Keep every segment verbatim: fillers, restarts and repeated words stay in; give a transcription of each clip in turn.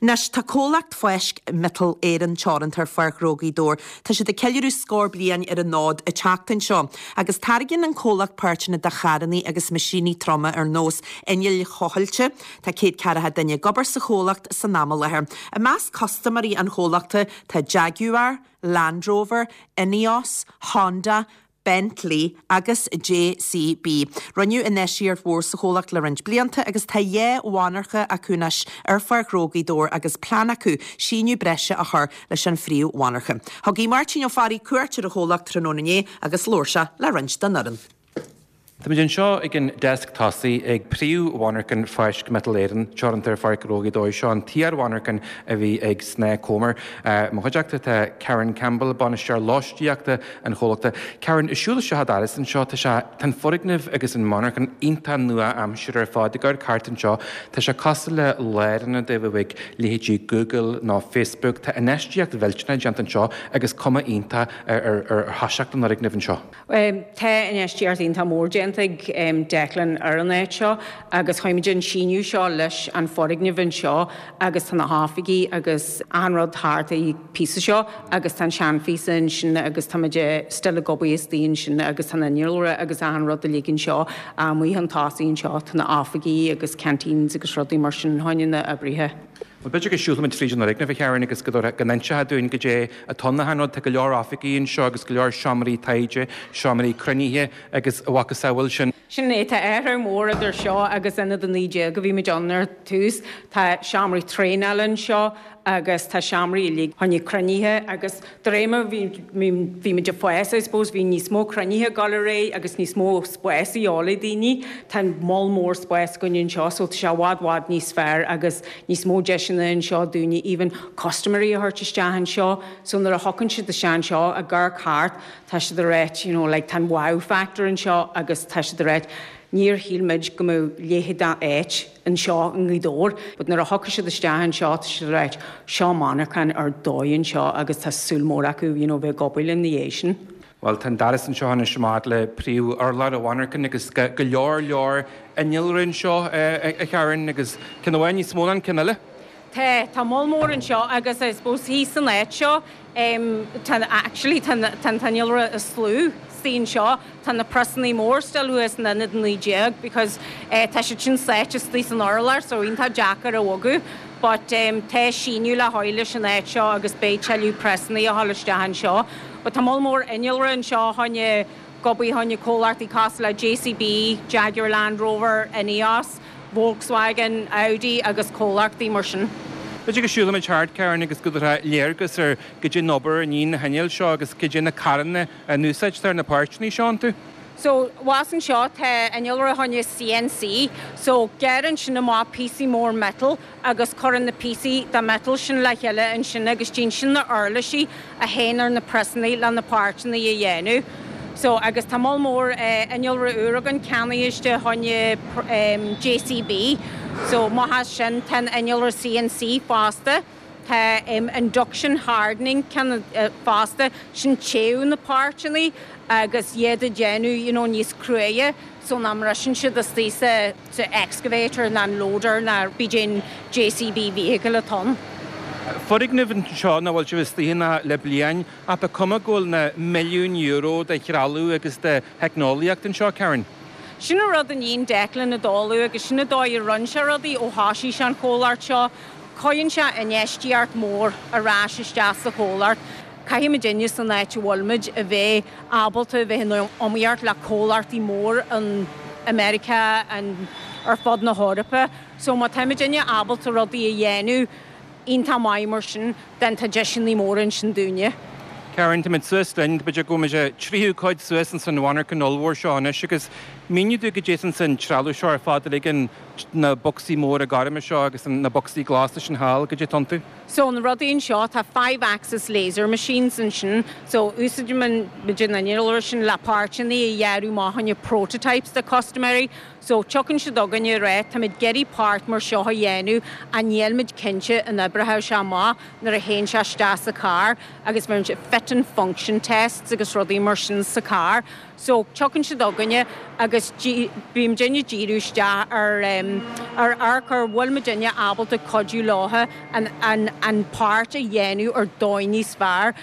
Anois tá comhlacht Fáisc Miotal Éireann Teoranta ar Pháirc Ghnó Ghaoth Dobhair. Tá siad ag ceiliúradh scór bliain ar an fhód an tseachtain seo, agus táirgeann an comhlacht páirteanna do charranna agus meaisíní troma ar nós innill thochailte. Tá céad ceathracha duine ag obair sa chomhlacht san am i láthair. I measc custaiméirí an chomhlachta tá Jaguar, Land Rover, Ineos, Honda, Bentley agus JCB. Rinneadh infheistíocht mhór sa chomhlacht le roinnt blianta agus tá dhá mhonarcha acu anois ar Pháirc Ghnó Ghaoth Dobhair agus plean acu síneadh breise a chur leis an phríomh-mhonarcha. Thug Máirtín Ó Fearraigh cuairt ar an chomhlacht tráthnóna inné agus labhair sé le roinnt den fhoireann. Táimid anseo ag an deasc tosaigh ag príomh-mhonarcha Fáisc Miotal Éireann, Teoranta ar Pháirc Ghnó Ghaoth Dobhair seo an t-iar-mhonarcha a bhí ag Snáth Comer. Mo chuideachta tá Karen Campbell, bainisteoir lóistíochta an chomhlachta. Karen ag siúl isteach an doras anseo tá sé tá an foirgneamh agus an monarcha iontach nua-aimseartha ar fad ag amharc thart anseo. Tá sé cosúil le lárionad a bheadh ag leithéidí Google nó Facebook, Tá infheistíocht mhillteanach déanta anseo agus cuma iontach ar ar thoiseacht an fhoirgnimh anseo. Tá infheistíocht iontach mór déanta ag Declan ar an áit seo agus chuimid an síneadh seo leis an foirgneamh anseo agus tá na hoifigí agus an rud thart i píosa seo agus tá an seanphíosa ansin agus tá still ag obair istigh ansin agus tá an innealra agus an rud uilig anseo amuigh an tosaigh anseo tá na hoifigí agus canteens agus rudaí mar sin tháinig na oibrithe. Well b'fhéidir go siúlfaimid fríd an fhoirgneamh a Karen agus go go n-inseofá dúinn goidé atá na rud tá go leor oifigí anseo agus go leor seomraí taighde, seomraí cruinnithe agus a mhacasamhail sin. Sin é tá athrú mór idir seo agus ionad a naoi déag go bhí muid ann ar tús, Tá seomraí traenála anseo agus tá seomraí uilig tháinig cruinnithe agus de réir mar bhí muid ag fás I suppose bhí níos mó cruinnithe ag dul ar aghaidh agus níos mó spás a dhíobháil daoine, Tá moll mór spás againn anseo so tá sé i bhfad bhfad níos fearr agus níos mó deiseanna anseo dúinne even custaiméirí a thabhairt isteach anseo, so nuair a thiocfaidh siad isteach anseo ag amharc thart tá siad ag rá you know, like, tá wow factor anseo agus tá siad ag rá níor shíl muid go mbeadh leithéid d'áit anseo i nGaoth Dobhair, but nuair a thiocfaidh siad isteach anseo tá siad ag rá seo monarcha ar dóigh anseo agus tá súil mór acu you know, bheith ag obair ina dhiaidh sin. Well tá an doras anseo anois amach le príomh-urlár an mhonarcha agus go leor leor innealra anseo a Karen agus ceann amháin níos mó ná an ceann eile. Tá tá moll mór anseo agus I suppose thíos san áit seo um, tá actually tá an t-innealra is lú istigh anseo tá na priosanna mór still thuas in ionad naoi déag because uh, tá siad sin sáite istigh san urlár so iontach deacair a bhogadh but um, tá síneadh le haghaidh leis an áit seo agus beidh tuilleadh priosanna a ghabháil isteach anseo. But tá moll mór innealra anseo tháinig gobaí tháinig comhlachtaí cosúil le JCB, Jaguar Land Rover, Ineos, Volkswagen, Audi agus comhlachtaí mar sin. B'fhéidir go siúlfaimid thart Karen agus go léargas ar goidé an obair a dhéanann na hinnill seo agus goidé na carranna a n-úsáidtear na páirteanna seo iontu. So thuas anseo tá innealra tháinig CNC, so gearrann sin amach píosaí mór metal agus cuireann na píosaí de metal sin le chéile ansin agus déanann sin na uirlisí a théann ar na priosanna le na páirteanna a dhéanamh. So agus tá moll mór uh, innealra úr againn ceannaithe tháinig um, JCB, so má sin tá innealra CNC fosta. Tá um, induction hardening ceann uh, fosta sin téamh na páirteanna agus iad a dhéanamh you know, níos cruaidhe, so nach mbriseann siad istigh sa sa excavator ná an loader ná bídéon JCB vehicle atá ann. Foirgneamh anseo nach bhfuil sibh istigh ann le bliain ach ba cuma go bhfuil na milliún euro de threalamh agus de theicneolaíocht anseo Karen. Sin an rud a dhéan Declan a dóú agus sin an dóigh a rinne sé rudaí ó thosaigh sé an chomhlacht seo, Cuireann sé infheistíocht mór ar ais isteach sa chomhlacht. Caithfimid duine san áit a bhfuilmuid a bheith ábalta a bheith in iomaíocht le comhlachtaí mór an America an ar fud na hEorpa, so má táimid duine ábalta rudaí a dhéanamh iontach maith mar sin den tá deiseanna mór ansin dúinne. Karen tá suas linn b'fhéidir go bhfuil tríú cuid suas an mhonarcha ollmhór seo anois agus mínigh dúinn goidé san trealamh seo ar fad le na bocsaí móra gorma seo agus na bocsaí glasa sin thall goidé atá iontu. So na rudaí anseo tá five axis laser machines ansin, so úsáideann muid an innealra sin le páirteanna a dhearadh amach prototypes do custaiméirí, so tiocfaidh siad chugainn ag rá Táimid ag iarraidh páirt mar seo a dhéanamh a nílmuid cinnte an oibreoidh sé amach nuair a théann sé isteach sa car agus bhíonn fit and function tests agus rudaí mar sin sa car. So tiocfaidh siad chugainne agus bíonn muidne ag díriú isteach ar um, ar amharc ar bhfuil muidne ábalta cuidiú leo an, an, an páirt a dhéanamh ar dóigh níos fearr.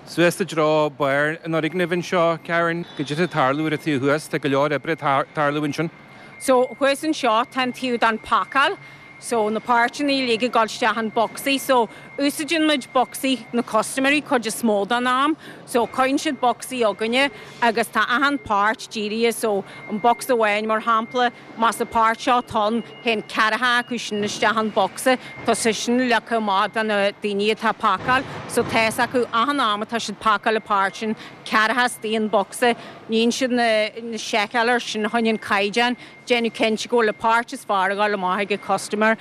Suas i dtreo barr an fhoirgnimh anseo Karen, goidé atá ag tarlú ar an taobh thuas tá go leor oibre ag tarlú ansin. So thuas anseo tá an taobh don phacáil, so na páirteanna uilig ag dul isteach an bocsaí, so úsáideann muid bocsaí na custaiméirí cuid is mó den am, so cuireann siad bocsaí chugainne agus tá achan páirt dírithe so an box amháin mar shampla más an páirt seo ann téann ceathracha acu sin isteach an bocsa Tá sé sin leagtha amach do na daoine atá ag pacáil, so tá a fhios acu achan am atá siad pacáil an páirt sin ceathracha istigh an bocsa, níonn siad na, na seiceáil sin chun an caighdeán, déanamh cinnte go bhfuil an páirt is fearr ag dul amach ag an customer.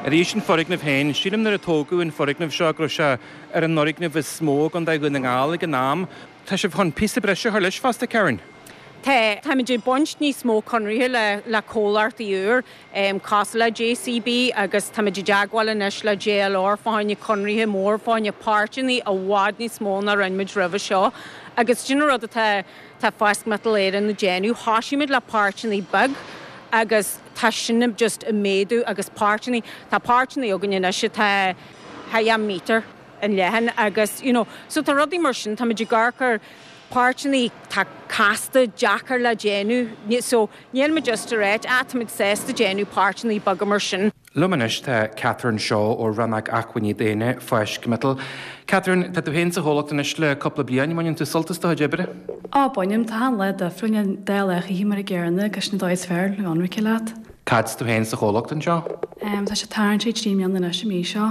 Arís an foirgneamh féin, sílim nuair a tógadh an foirgneamh seo go raibh sé ar an fhoirgneamh is mó i gContae Dhún na nGall ag an am. Tá sibh chun píosa breise a chur leis fosta Karen. Tá táimid ag baint níos mó conarthaí le le comhlachtaí úr um, cosúil le JCB agus táimid i dteagmháil anois le JLR fá choinne conarthaí mór fá choinne páirteanna i bhfad níos mó ná rinne muid roimhe seo. Agus sin rud atá tá Fáisc Miotal Éireann ag déanamh, thosaigh muid le páirteanna beag agus tá sin just ag méadú agus páirteanna tá páirteanna againn anois atá thá míter an leathan agus you know, so tá rudaí mar sin tá muid ag amharc páirteanna tá casta deacair le déanamh so níl muid just ag rá táimid sásta déanamh páirteanna beaga mar sin. Liom anois tá Catherine Shaw ó Rannóg Acmhainní Daonna Fáisc Miotal. Catherine tá tú féin sa chomhlacht anois le cúpla bliain mbaineann tú sult as do chuid oibre? Á bainim tá an le difriúil dá lechaí mar a géarna gus na dóis fearr le anraice leat. Cad tú féin sa chomhlacht anseo? Tá sé tarraingt trí mbliana anois i mí seo.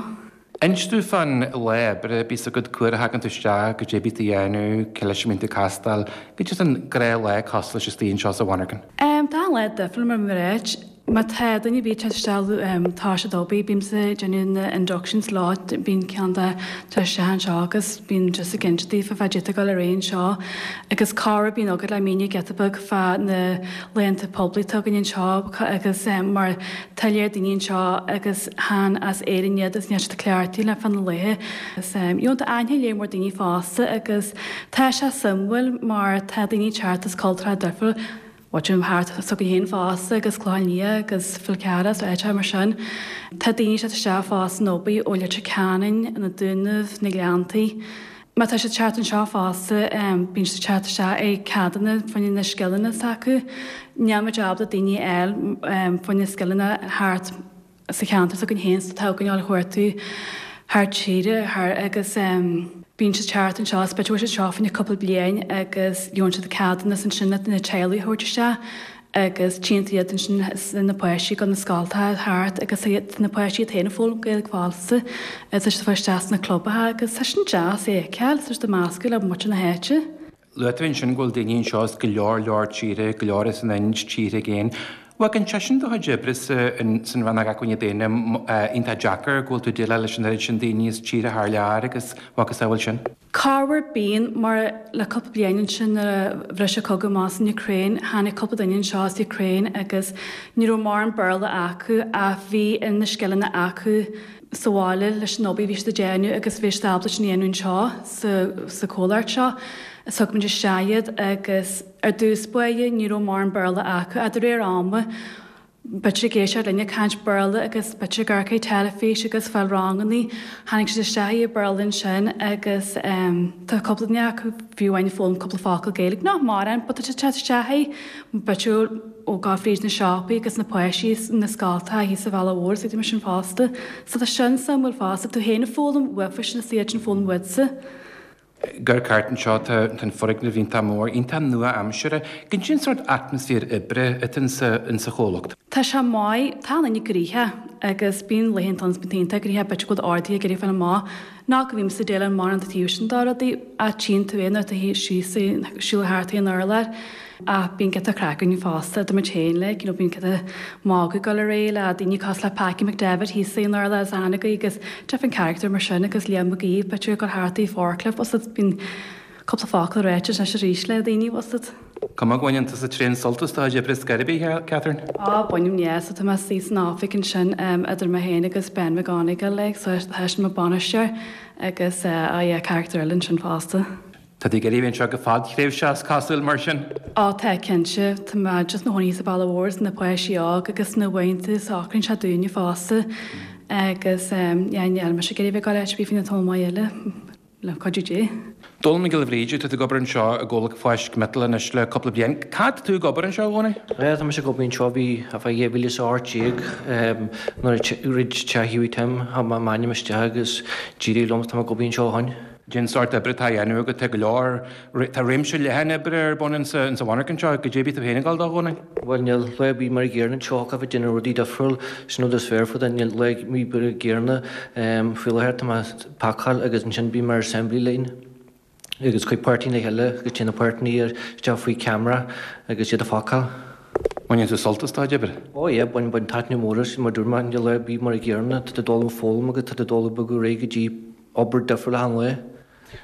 Inis domh fán lá oibre bíos agat cá huair a thagann tú isteach goidé a bhíonn tú a dhéanamh cé leis a mbíonn tú ag castáil, goidé an gnáthlá cosúil leis istigh anseo sa mhonarcha. Tá an lá difriúil mar mar Má tá duine bí te tá sé dóbí bímse déanamh na inductions lá bíonn ceann de tá sé anseo agus bíonn just ag inse daofa fá goidé atá ag dul ar aghaidh anseo agus cara bíonn agat le míniú giota beag fá na laethanta poiblí atá againn anseo agus mar tá léir daoine anseo agus chan as Éirinn iad is níl siad cleachtaithe le fá na laethe. You know tá aithne léir mór daoine fosta agus tá sé suimiúil mar tá daoine teacht as cultúr difriúil Watching thart so go haon fosta agus Clochán Liath agus Fál Carrach áit mar sin. Tá daoine se isteach fosta nóbaí ó Leitir Ceanainn na Dúnaibh na Gleanntaí. Má tá sé teacht anseo fosta bíonn sé teacht isteach ag ceadanna fá choinne na scileanna s'acu. Níl muid ábalta daoine eile fá choinne scileanna thart sa cheantar s'againn féin tá againn á chuartú thar tíre thar agus bíonn sé teacht anseo b'fhéidir sé seo fá choinne cúpla bliain agus gheobhann siad ceadúnas ansin na teaghlaigh a thabhairt isteach agus tchíonn tú iad ansin na páistí go na scoltacha thart agus na páistí iad féin ag foghlaim Gaeilge fosta is tá siad ag fáil isteach sna clubacha agus tá sin deas é a fheiceáil tá siad ag meascadh le muintir na háite. Luaigh tú ansin go bhfuil daoine anseo as go leor leor tíre, go leor as an Ind, tíortha i gcéin. Bhfuil sé sin do chuid oibre san rannóg acmhainní daonna iontach deacair go bhfuil tú ag déileáil leis an oiread sin daoine as tíortha thar lear agus macasamhail sin? Corruair bíonn mar le cúpla bliain ansin nuair a bhris an cogadh amach san Ukraine, tháinig cúpla duine anseo as Ukraine agus ní raibh mórán Béarla acu ach bhí na scileanna acu sa bhaile leis an obair bhí siad ag déanamh agus bhí siad ábalta sin a dhéanamh anseo sa, sa chomhlacht seo. Thug muid isteach iad agus ar dtús báire ní raibh mórán Béarla acu a de réir ama b'fhéidir ag éisteacht linne caint Béarla agus b'fhéidir ag amharc ar teilifís agus fáil ranganna tháinig siad isteach i Béarla ansin agus um, tá cúpla duine acu fiú amháin foghlaim cúpla focal Gaeilge nach mórán, but tá siad isteach é b'fhéidir ó gá fríd na siopaí agus na páistí na scoltacha thíos sa Bhaile Mhór sa sin fosta. So tá sin suimiúil fosta tú féin ag foghlaim uafa sin is iad sin foghlaim uaitse. Gur cairt anseo tá an foirgneamh iontach mór, iontach nua-aimseartha, Goidé an sórt atmaisféar oibre atá insa chomhlacht. Tá sé maith tá an gnoitheach agus bíonn laethanta ann bíonn gnoitheach b'fhéidir go bhfuil ardaithe ag iarraidh fáil amach ná go bhím sa déile mar an taobh sin dá rudaí a tchíonn tú é nuair atá síos siúl thart an urlár ach bíonn giota craic againn fosta do muid féin like you know bíonn giota magadh ag dul ar aghaidh le daoine cosúil le Packy McDevitt thíos san urlár is Anagaí agus different character mar sin agus Liam McGee b'fhéidir ag dul thart i forklift was bíonn cúpla focal ráite anois arís le daoine was it. Cuma go mbaineann tusa tréan sult as do chuid oibre scor ar bith, Catherine? Á bainim yeah, so tá mé suí san oifig ansin um, idir mé féin agus Ben McGonigal like, so tá sin mo bainisteoir agus uh, á yeah, character eile ansin fosta. Tá tú ag iarraidh a bheith anseo go fadthréimhseach is cosúil mar sin? Á tá cinnte, tá mé just mo chónaí sa Baile Mhór is na páistí óg agus na uaireanta socraíonn sé dúinne fosta agus yeah níl mise ag iarraidh bheith ag dul áit ar bith faoina tamall maith eile le cuidiú Dé. Dónall Mac Giolla Bhríde, tá tú ag obair anseo i gcomhlacht Fáisc Miotail anois le cúpla bliain. Cad tá tú ag obair anseo, a Dhónaill? Yeah, tá mise ag obair anseo bhí fá dhá mhíle is a hocht déag nuair a throid teach Hughie Tim, chuir mé m'ainm isteach agus d'éirigh liom, tá mé ag obair anseo ó shin. Cén sórt oibre atá á dhéanamh agat? Tá go leor, tá réimse leathan oibre ar bun insa mhonarcha anseo. Goidé a bhí tú féin ag dul dó, a Dhónaill? Bhuel, níl lá ar bith mar an gcéanna anseo, thiocfadh bheith ag déanamh rudaí difriúil, sin rud is fearr fá dtaobh, níl lá ar bith mar an gcéanna. Faoi láthair tá mé ag pacáil agus ansin bím ar assembly line agus cuir páirteanna le chéile agus téann na páirteanna isteach faoi camera agus iad a phacáil. Baineann tú sult as do chuid oibre? Ó yeah, baineann, baineann taitneamh mór as, mar dúirt mé, níl lá ar bith mar an gcéanna, tá tú ag dul ag foghlaim agus tá tú ag dul ag bogadh ar aghaidh go dtí obair difriúil achan lá.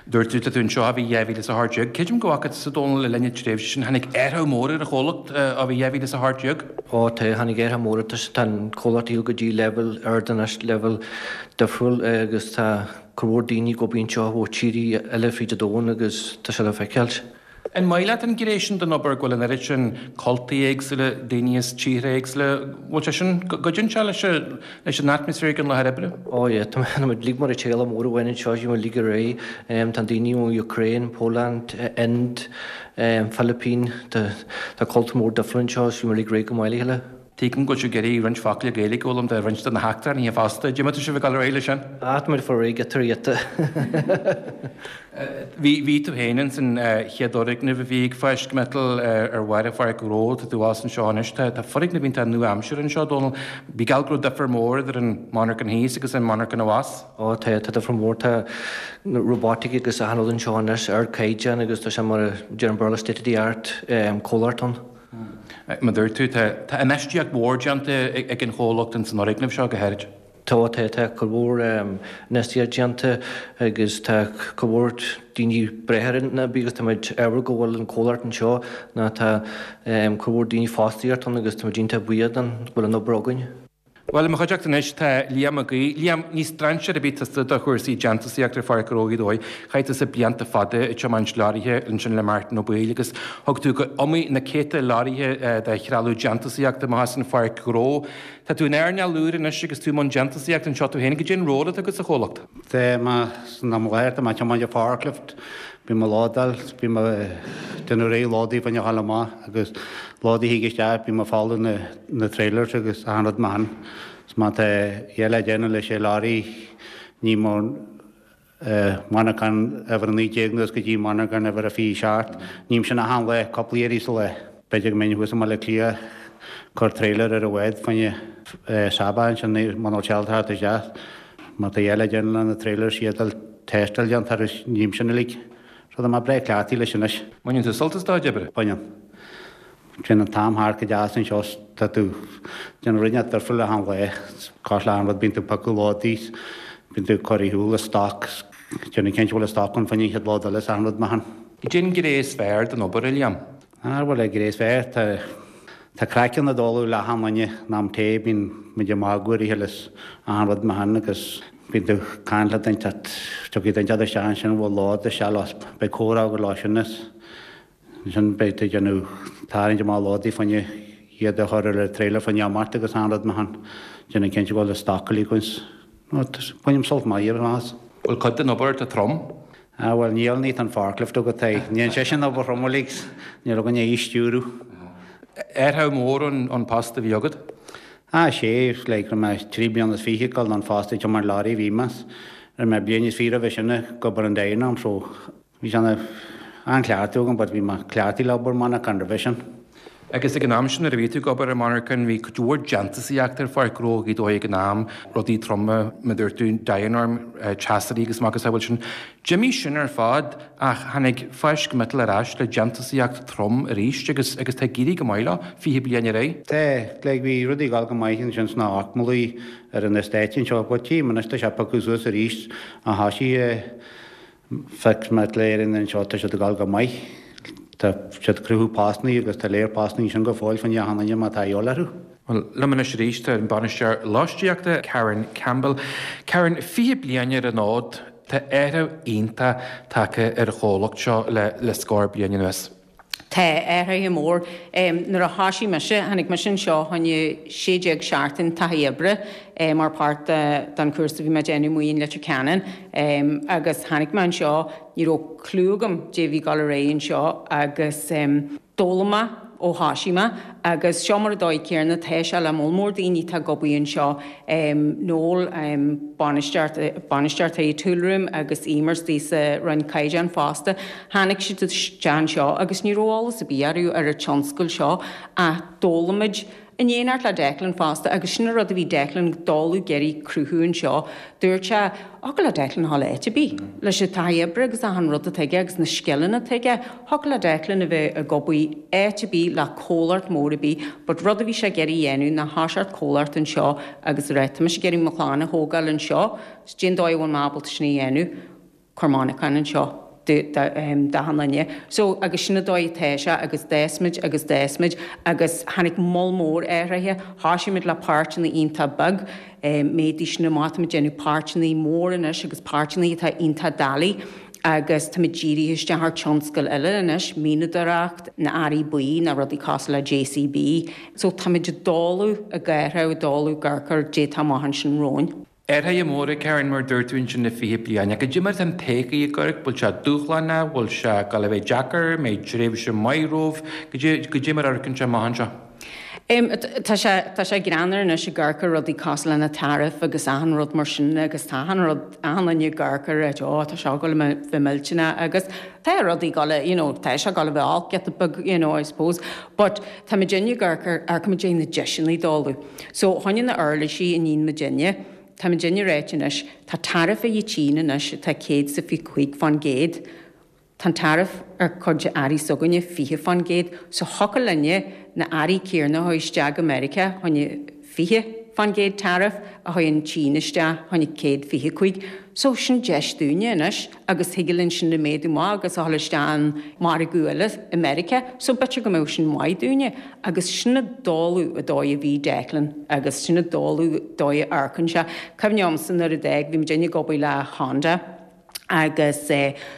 Dúirt tú, tá tú anseo ó bhí dhá mhíle is a hocht déag. Creidim go bhfaca tusa, Dónall, le linn na tréimhse sin, tháinig athrú mór ar an chomhlacht ó bhí dhá mhíle is a hocht déag. Ó tá, tháinig athrú mór, tá an comhlacht ag dul go dtí leibhéal ard anois, leibhéal difriúil agus tá cuid mhór daoine ag obair anseo ó tíortha eile fríd an domhan agus tá sé le feiceáil. An maith leat an ghné sin den obair, go bhfuil an oiread sin cultaí éagsúla, daoine as tíortha éagsúla, bhfuil sé sin, gcuidíonn sé leis leis an atmaisféar ag an láthair oibre? Ó yeah, tá muid uilig mar teaghlach mór amháin anseo, bhí muid uilig ar aghaidh, tá daoine ón Ukraine, Poland, Ind, Philippine, tá tá cultúr mór difriúil anseo, is bhí muid uilig ar aghaidh go maith le chéile. Tuigim go bhfuil sibh ag iarraidh roinnt focail Gaeilge a fhoghlaim de roinnt de na heachtrannaithe fosta. Cad é mar atá sibh ag dul ar aghaidh leis sin? Ah, tá muid ag fáil réidh giota ar ghiota. Bhí, bhí tú féin ins an chéad fhoirgneamh a bhí ag Fáisc Miotail ar bharr Pháirc Ghnó, tá tú abhus anseo anois. Tá, tá foirgneamh iontach nua-aimseartha anseo, Dónal. Bí geall go raibh difear mór idir an monarchan thíos agus an monarchan abhus. Ó tá, tá difear mór. Tá robotic agus achan rud anseo anois, ardchaighdeán agus tá sé mar a deir an Béarla state of the art comhlacht ann. Mar dúirt tú, tá infheistíocht mhór déanta ag an chomhlacht ins an fhoirgneamh seo go háirid. Tá, tá, tá cuid mhór infheistíocht déanta agus tá cuid mhór daoine breithe ar an obair agus tá muid ádhúil go bhfuil an comhlacht anseo ná tá cuid mhór daoine fostaíocht ann agus tá muid iontach buíoch don go bhfuil an obair againn. Bhuel, i mo chuideachta anois tá Liam Mac Aoidh. Liam, ní strainséir ar bith tusa do chúrsaí déantúsaíochta ar Pháirc Ghnó Ghaoth Dobhair. Chaith tusa blianta fada ag tiomáint leoraithe ansin le Martin Ó Baoill agus thug tú go iomaí na céadta leoraithe de threalamh déantúsaíochta amach as an Pháirc Ghnó. Tá tú in earnáil úr anois agus tú i mbun déantúsaíochta anseo tú féin. Goidé an ról atá agat sa chomhlacht? Tá mé san am i láthair, tá mé ag tiomáint an forklift. Bím ag lódáil, bím ag déanamh réidh lódaí fá choinne a ghabháil amach agus lódaí a thig isteach, bím ag fáil na na trailers agus achan rud mar shin. Is má tá a dhath le déanamh leis an lorry ním ón monarchan uimhir a naoi déag anuas go dtí monarchan uimhir a fiche seacht, ním sin achan lá, cúpla iarraidh sa lá. B'fhéidir go mbeinn thuas i mBaile Átha Cliath ag cur trailer ar an bhád fá choinne Saba ansin muna bhfuil sé thart isteach. Má tá a dhath le déanamh le na trailers iad a tástáil déanta agus ním sin uilig. So tá mé breá cleachtaithe leis anois. Baineann tú sult as do chuid oibre? Baineann. Téann an t-am thart go deas anseo 's tá tú déanamh rud inteacht difriúil achan lá. Cosúil le achan rud bíonn tú ag piocadh lódaí 's bíonn tú ag cur ar shiúl an stoc 's déanamh cinnte go bhfuil an stoc ann fá choinne an chéad lód eile 's achan rud mar shin. Goidé an ghné is fearr den obair, a Liam? Ah bhuel an ghné is fearr tá tá craic ann ag dul le achan duine in am tae bíonn muid ag magadh ar a chéile 's achan rud mar shin agus bíonn tú ag caint le duine inteacht tiocfaidh duine inteacht isteach ansin a bhfuil lód isteach leo 's beidh comhrá agat leo sin is ansin beidh tú ag déanamh tarraingt amach lódaí fá choinne iad a chur ar an trailer fá choinne imeacht agus achan rud mar shin déanamh cinnte go bhfuil an stoc uilig againn 's no bainim sult maith as. Bhfuil cuid den obair atá trom? Ah bhuel níl, ní tá an forklift agat é. Níl seisean obair throm uilig 's níl againn é a stiúradh. Athrú mór ón post a bhí agat? Ah sé, like raibh mé trí bliana is fiche ag dul don phost ag tiomáint lorry a bhí mé 's raibh mé bliain is fiche roimhe sin ag obair in Dianorm so bhí sé ana an-chleachtadh agam but bhí mé cleachtaithe le obair monarchan roimhe sin. Agus ag an am sin nuair a bhí tú ag obair i monarchan bhí cuid mhór déantúsaíochta ar Pháirc Ghnó Ghaoth Dobhair ag an am, rudaí troma, mar dúirt tú, Dianorm, teasairí agus macasamhail sin. D'imigh sin ar fad ach tháinig Fáisc Miotail ar ais le déantúsaíocht trom arís agus agus tá ag éirí go maith leo, fiche bliain ar aghaidh. Tá, like bhí rudaí ag dul go maith ansin sna hochtmalaí ar an estate anseo but tchím anois tá sé piocadh suas arís a thoisigh Fáisc Miotal Éireann anseo, tá siad ag dul go maith. Tá siad ag cruthú postannaí agus tá léar postannaí ansin go fóill fá choinne achan duine má tá a dhíobháil orthu. Bhuel, liom anois arís tá an Bainisteoir Lóistíochta, Karen Campbell. Karen, fiche bliain ar an fhód, Tá athrú iontach tagtha ar an chomhlacht seo le le scór bliain anuas. Tá athraithe mór. Nuair a thoisigh mise, tháinig mise anseo choinne sé déag seachtain taithí oibre mar páirt den chúrsa a bhí mé ag déanamh amuigh in Leitir Ceanainn agus tháinig mé anseo, ní raibh clue agam dé bhí ag dul ar aghaidh anseo agus d'fhoghlaim mé ó thoisigh mé agus seo mar a dóigh céanna tá sé le moll mór daoine atá ag obair anseo, Noel, bainisteoir bainisteoir Toolroom agus Emer istigh sa Roinn Caighdeán fosta. Tháinig siad isteach anseo agus ní raibh eolas ar bith orthu ar an tionscal seo ach d'fhoghlaim muid in éineacht le Declan fosta agus sin an rud a bhí Declan ag dul ag iarraidh cruthú anseo. Dúirt sé, thiocfadh le Declan a dhul áit ar bith leis an taithí oibre agus achan rud atá aige agus na scileanna atá aige. Thiocfadh le Declan a bheith ag obair áit ar bith le comhlacht mór ar bith but rud a bhí sé ag iarraidh a dhéanamh ná thoiseacht comhlacht anseo agus a rá tá mise ag iarraidh mo chlann a thógáil anseo, cén dóigh a bhfuil mé ábalta sin a dhéanamh, cuir monarchan anseo d'achan duine. So agus sin an dóigh atá sé agus d'fhás muid agus d'fhás muid agus tháinig moll mór athraithe. Thoisigh muid le páirteanna iontach beag, méadaigh sin amach, tá muid ag déanamh páirteanna mór anois agus páirteanna atá iontach doiligh agus tá muid dírithe isteach ar tionscail eile anois, mianadóireacht, na earraí buí, na rudaí cosúil le JCB. So tá muid ag dul ag athrú, ag dul ag amharc ar dé atá amach ansin romhainn. Athruithe móra, Karen, mar a dúirt tú ansin le fiche bliain. Ach cad é mar atá an todhchaí ag amharc, bhfuil sé dúshlánach, bhfuil sé ag dul a bheith deacair, mbeidh tréimhse maith romhaibh, cad é mar a amharcann sé amach anseo? Tá sé tá sé greannmhar anois ag amharc ar rudaí cosúil le na tariff agus achan rud mar sin agus tá achan rud achan duine ag amharc ar it, ó tá sé ag dul a bheith millteanach agus tá rudaí ag dul you know tá sé ag dul a bheith olc giota beag you know I suppose but tá muidinne ag amharc ar amharcann muid ar na deiseanna ag dul. So choinne na uirlisí a níonn muidinne, Tá muidinne ag ráit anois, tá tariff ag an tSín anois atá céad is a fiche cúig fán gcéad. Tá an tariff ar cuid de earraí s'againne fiche fán gcéad. So thiocfadh linne na earraí céanna a chur isteach go Meiriceá choinne fiche fán gcéad tariff a chur an tSín isteach choinne céad fiche cúig. So sin deis dúinne anois agus thig linn sin a méadú amach agus a dhul isteach an margadh eile i Meiriceá. So b'fhéidir go mbeadh sin maith dúinne. Agus sin an dóigh a dóigh a bhí Declan agus sin an dóigh dóigh a amharcann sé. Cuimhin liomsa nuair a d'fhág bhí muidinne ag obair le Honda agus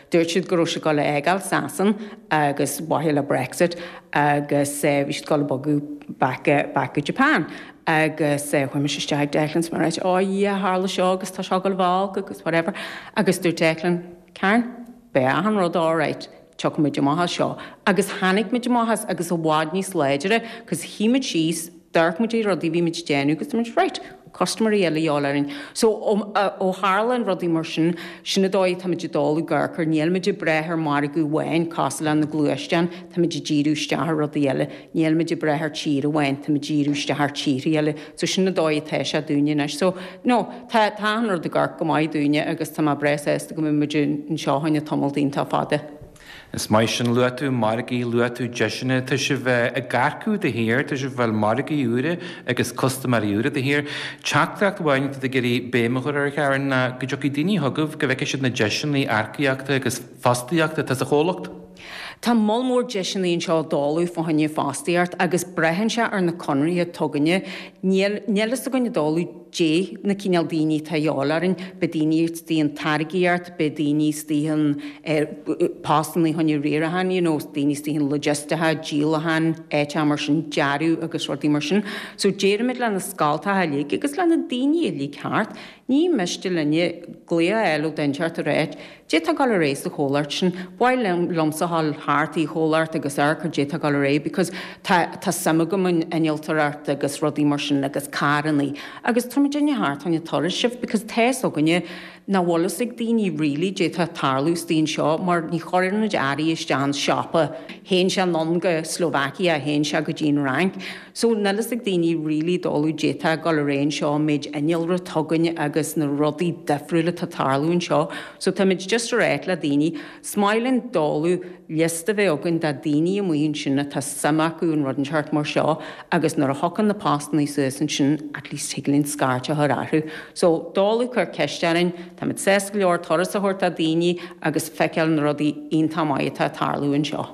dúirt siad go raibh siad ag dul a fhágáil Sasan agus mhaithe le Brexit agus bhí siad ag dul a bogadh back back go Japan. Agus chuaigh mise isteach ag Declan is mé ag ráit oh yeah tharla seo agus tá seo ag dul a bheith olc agus whatever. Agus dúirt Declan, Karen, beidh achan rud alright, tiocfaidh muid amach as seo. Agus tháinig muid amach as agus i bhfad níos láidre cos shuigh muid síos, d'amharc muid ar rudaí a bhí muid ag déanamh agus dúirt muid right, custaiméirí eile a dhíobháil orainn. So ó tharla an rudaí mar sin, sin an dóigh atá muid ag dul ag amharc ar, níl muid ag brath ar margadh amháin cosúil le na gluaisteáin, tá muid ag díriú isteach ar rudaí eile, níl muid ag brath ar tír amháin, tá muid ag díriú isteach ar tíortha eile. So sin an dóigh atá sé dúinne anois. So no, tá tá an rud ag amharc go maith dúinne agus tá mé breá sásta go mbeidh muid anseo choinne tamall iontach fada. Is maith sin. Luaigh tú margaí, luaigh tú deiseanna. Tá sibh ag earcú de shíor, tá sibh ag fáil margaí úra agus custaiméirí úra de shíor. Teachtaireacht amháin atá tú ag iarraidh béim a chur air, Karen, ná go dtiocfaidh daoine chugaibh, go bhfeicfidh siad na deiseanna earcaíochta agus fostaíochta atá sa chomhlacht. Tá moll mór deiseanna anseo dáileadh fá choinne fostaíocht agus braitheann sé ar na conarthaí atá againne. Níl níl fhios againn ag dáileadh dé na cineál daoine atá a dhíobháil orainn, beidh daoine istigh an táirgíocht, beidh daoine istigh an postanna choinne riaracháin, you know, daoine istigh an logistice, díolachán, áiteacha mar sin, dearadh agus rudaí mar sin. So déarfaimid le na scoltacha uilig agus le na daoine uilig thart, ní miste linne glaoch a fháil ó dhuine inteacht a ráit, Dé tá ag dul ar aghaidh sa chomhlacht sin, ba mhaith liomsa a dhul thart i chomhlacht agus amharc ar dé tá ag dul ar aghaidh because tá tá suim agam in innealtóireacht agus rudaí mar sin agus carrannaí agus tá muid duine thart choinne turas sibh because tá fhios againne nach bhfuil fhios ag daoine really dé tá ag tarlú istigh anseo mar ní chuireann muid earraí isteach an siopa, théann sé anonn go Slovakia, théann sé go dtí an Fhrainc. So níl fhios ag daoine really dóladh dé tá ag dul ar aghaidh anseo, an méid innealra atá againn agus na rudaí difriúla atá ag tarlú anseo. So táimid just ag ráit le daoine, is maith linn dáileadh liosta a bheith againn de daoine amuigh ansin atá suim acu in rud inteacht mar seo agus nuair a thiocfaidh na postannaí suas ansin at least thig linn scairt a chur orthu. So dáileadh cuir ceist orainn, táimid sásta go leor turas a thabhairt do daoine agus feiceáil na rudaí iontach maith atá ag tarlú anseo.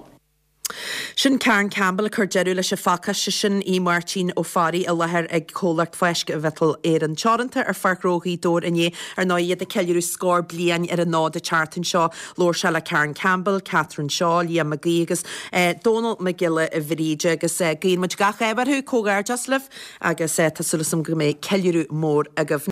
Sin Karen Campbell ag cur deireadh leis an phacáiste sin í Máirtín Ó Fearraigh i láthair ag comhlacht Fáisc Mhiotal Éireann Teoranta ar Pháirc Ghnó Ghaoth Dobhair inné ar ndóigh iad ag ceiliúradh scór bliain ar an fhód an tseachtain seo. Labhair sé le Karen Campbell, Catherine Shaw, Liam Mac Aoidh agus Dónal Mac Giolla Bhríde agus guíonn muid gach ádh orthu comhghairdeas libh agus tá súil agam go mbeidh ceiliúradh mór agaibh.